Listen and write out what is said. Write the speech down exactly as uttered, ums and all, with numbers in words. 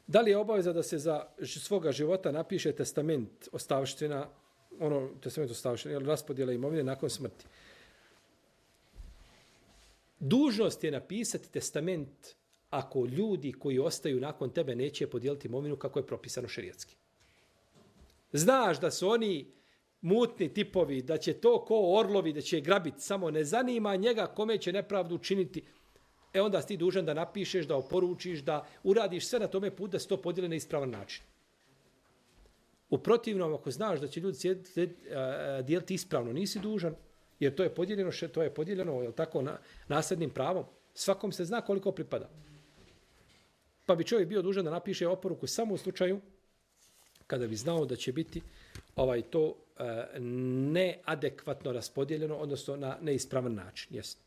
Da li je obaveza da se za svoga života napiše testament ostavština, ono, testament ostavština, ili raspodjela imovine nakon smrti? Dužnost je napisati testament ako ljudi koji ostaju nakon tebe neće podijeliti imovinu kako je propisano šerijatski. Znaš da su oni mutni tipovi, da će to ko orlovi, da će grabiti, samo ne zanima njega kome će nepravdu učiniti. E onda si ti dužan da napišeš, da oporučiš, da uradiš sve na tome put da se to podijeli na ispravan način. U protivnom, ako znaš da će ljudi dijeliti ispravno, nisi dužan, jer to je podijeljeno, to je podijeljeno, je tako, na, nasljednim pravom. Svakom se zna koliko pripada. Pa bi čovjek bio dužan da napiše oporuku samo u slučaju kada bi znao da će biti ovaj to e, neadekvatno raspodijeljeno, odnosno na neispravan način. Jest.